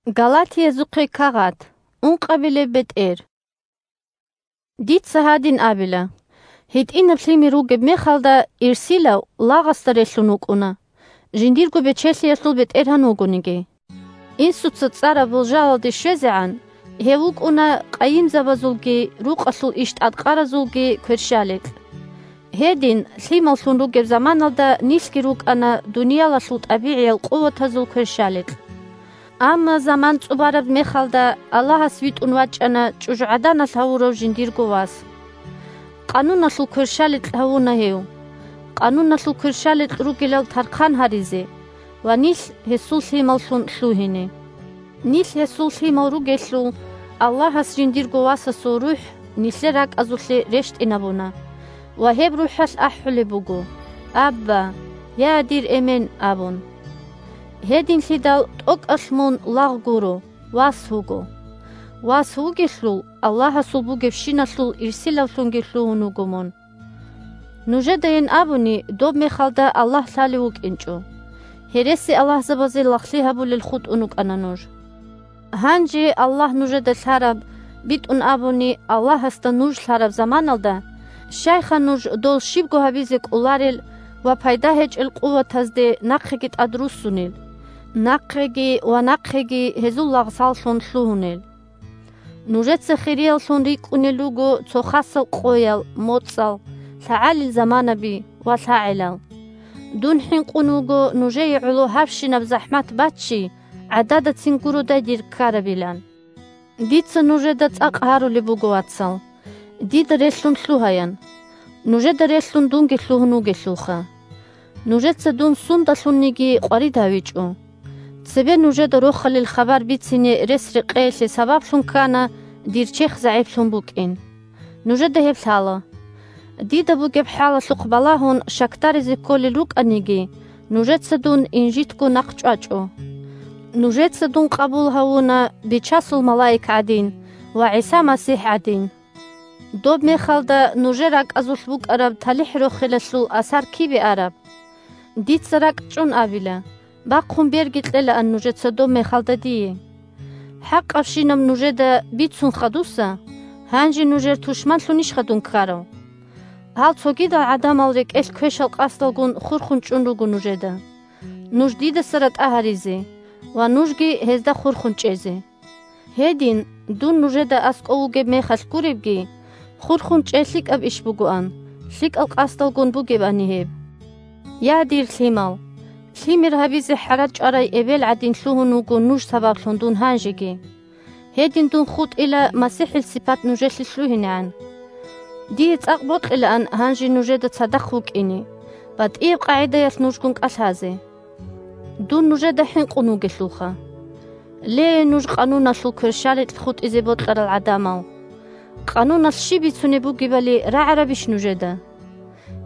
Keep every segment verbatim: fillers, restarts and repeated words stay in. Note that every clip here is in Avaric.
Галатиязухъе кагъат, ункъабилеб бетӀер. Дица гьадин абила: гьитӀинаб лъимер ругеб мехалда, ирсилав лагъасда релълъун вукӀуна, жиндирго бечелъиялъул бетӀергьан вугониги. Инсуца цӀараб болжалалде щвезегӀан, гьев вукӀуна къайимзабазулги рукъалъул иш тӀадкъаразулги кверщаликь. Гьедин, лъималлъун ругеб заманалда нилъги рукӀана дуниялалъул тӀабигӀиял къуватазул кверщаликь. Амма заман цӀубараб мехалда Аллагьас витӀун вачӀана чӀужугӀаданалъ гьавурав жиндирго вас. Къануналъул кверщаликь гьавуна гьев. Къануналъул кверщаликь ругилал тархъан гьаризе ва нилъ гьесул лъималлъун лъугьине. Нилъ гьесул лъимал ругелъул, Аллагьас жиндирго Васасул РухӀ нилъер ракӀазулъе рещтӀинабуна ва гьеб РухӀалъ ахӀулеб буго: «Абба, я дир Эмен!» – абун. Гьединлъидал тӀокӀалъ мун лагъ гуро, вас вуго. Вас вугелъул, Аллагьасул бугебщиналъул ирсилавлъунги лъугьун вуго мун. Нужедайин абуни, доб мехалда Аллагь лъалев вукӀинчӀо. Гьересиаллагьзабазе лагълъи гьабулел хутӀун рукӀана нуж. Гьанже Аллагь нужеда лъараб, битӀун абуни, Аллагьасда нуж лъараб заманалда, щайха нуж дол щибго гьабизе кӀоларел ва пайда гьечӀел къуватазде нахъеги тӀадруссунел, нахъеги ва нахъеги гьезул лагълъаллъун лъугьунел? Нужеца хирияллъун рикӀкӀунел руго цо хасал къоял, моцӀал, лъагӀалил заманаби ва лъагӀелал. Дун хӀинкъун вуго нужее гӀоло гьабщинаб захӀмат баччи, гӀададацин гуродай дир ккарабилан. Дица нужеда цӀакъ гьарулеб буго, вацал. Дида релълъун лъугьаян. Нужеда релълъун дунги лъугьун вугелъулха. Нужеца дун сундалъунниги къварид гьавичӀо. Цебе нужеда Рохалил хабар бицине рес-рекъеялъе сабаблъун ккана дир черх загӀиплъун букӀин. Нужеда гьеб лъала. Дида бугеб хӀалалъухъ балагьун щакдаризе кколел рукӀаниги, нужеца дун инжитго нахъ чӀвачӀо. Нужеца дун къабул гьавуна Бичасул малаик гӀадин ва ГӀиса МасихӀ гӀадин. Доб мехалда нужер ракӀазулъ букӀараб талихӀ-рохелалъул асар кибе араб? Дица ракӀ чӀун абила, бахъун берги кьелаан нужеца доб мехалда дие. ХӀакъабщинаб нужеда бицун хадуса, гьанже нужер тушманлъунищха дун ккарав? Гьал цогидал гӀадамал рекӀелъ квешал къасдалгун хурхун чӀун руго нужеда, нуж дидаса ратӀа гьаризе ва нужги гьезда хурхун чӀезе. Гьедин, дун нужеда аскӀов вугеб мехалъ гуребги, хурхун чӀей лъикӀаб иш бугоан, лъикӀал къасдалгун бугебани гьеб. Я, дир лъимал! Лъимер гьабизе хӀарал чӀварай эбел гӀадин лъугьун вуго нуж сабаблъун дун гьанжеги. Гьедин дун хутӀила МасихӀил сипат нужелъе лъугьинегӀан. Дие цӀакъ бокьилаан гьанже нужеда цадахъ вукӀине, батӀияб къагӀидаялъ нужгун кӀалъазе. Дун нужеда хӀинкъун вугелъулха. Ле, нуж къануналъул кверщаликь хутӀизе бокьарал гӀадамал! Къануналъ щиб бицунеб бугебали рагӀарабищ нужеда?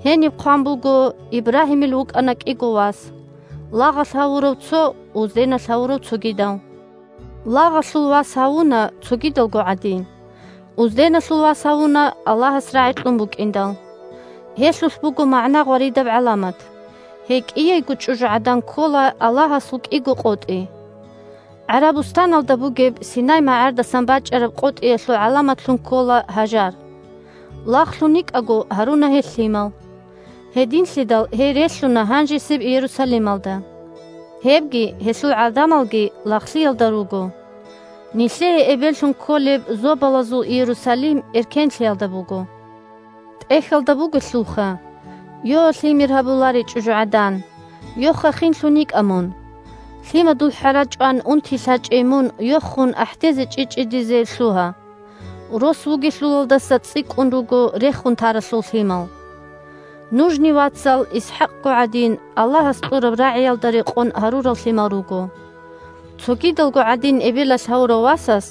Гьениб хъван буго: «Ибрагьимил вукӀана кӀиго вас, лагъалъ гьавурав цо, узденалъ гьавурав цогидав». Лагъалъул вас гьавуна цогидалго гӀадин. Узденалъул вас гьавуна Аллагьас рагӀи кьун букӀиндал. Гьелъулъ буго магӀна гъваридаб гӀаламат. Гьей кӀияйго чӀужугӀадан ккола Аллагьасул кӀиго къотӀи. ГӀарабустаналда бугеб Синай магӀардасан бачӀараб къотӀиялъул гӀаламатлъун ккола Гьажар. Лагълъун йикӀаго гьаруна гьел лъимал. Гьединлъидал гьей релълъуна гьанжесеб Иерусалималда. Гьебги, гьелъул гӀадамалги лагълъиялда руго. Нилъее эбеллъун кколеб зобалазул Иерусалим эркенлъиялда буго. ТӀехьалда бугелъулха: «Йо, лъимер гьабуларей чӀужугӀадан! Йоха хинлъун йикӀа мун! Лъимадул хӀара чӀван унти лъачӀей мун йохун ахӀдезе чӀичӀидизе лъугьа. Рос вугелъулалдаса цӀикӀкӀун руго рехун таралъул лъимал. Нужни, вацал, ИсхӀакъго гӀадин, Аллагьас кьураб рагӀиялда рекъон гьарурал лъимал руго. Цогидалго гӀадин эбелалъ гьавурав васас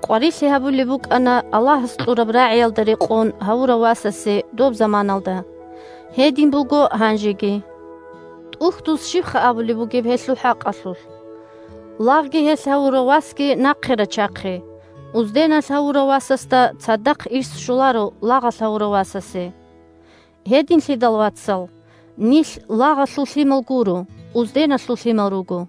къварилъи гьабулеб букӀана Аллагьас кьураб рагӀиялда рекъон гьавурав васасе доб заманалда. Гьедин буго гьанжеги. ТӀухьдуз щибха абулеб бугеб гьелъул хӀакъалъулъ? Лагъги гьелъ гьавурав васги нахъе рачахъе, узденалъ гьавурав васасда цадахъ ирс щоларо лагъалъ гьавурав васасе. Гьединлъидал, вацал, нилъ лагъалъул лъимал гуро, узденалъул лъимал руго.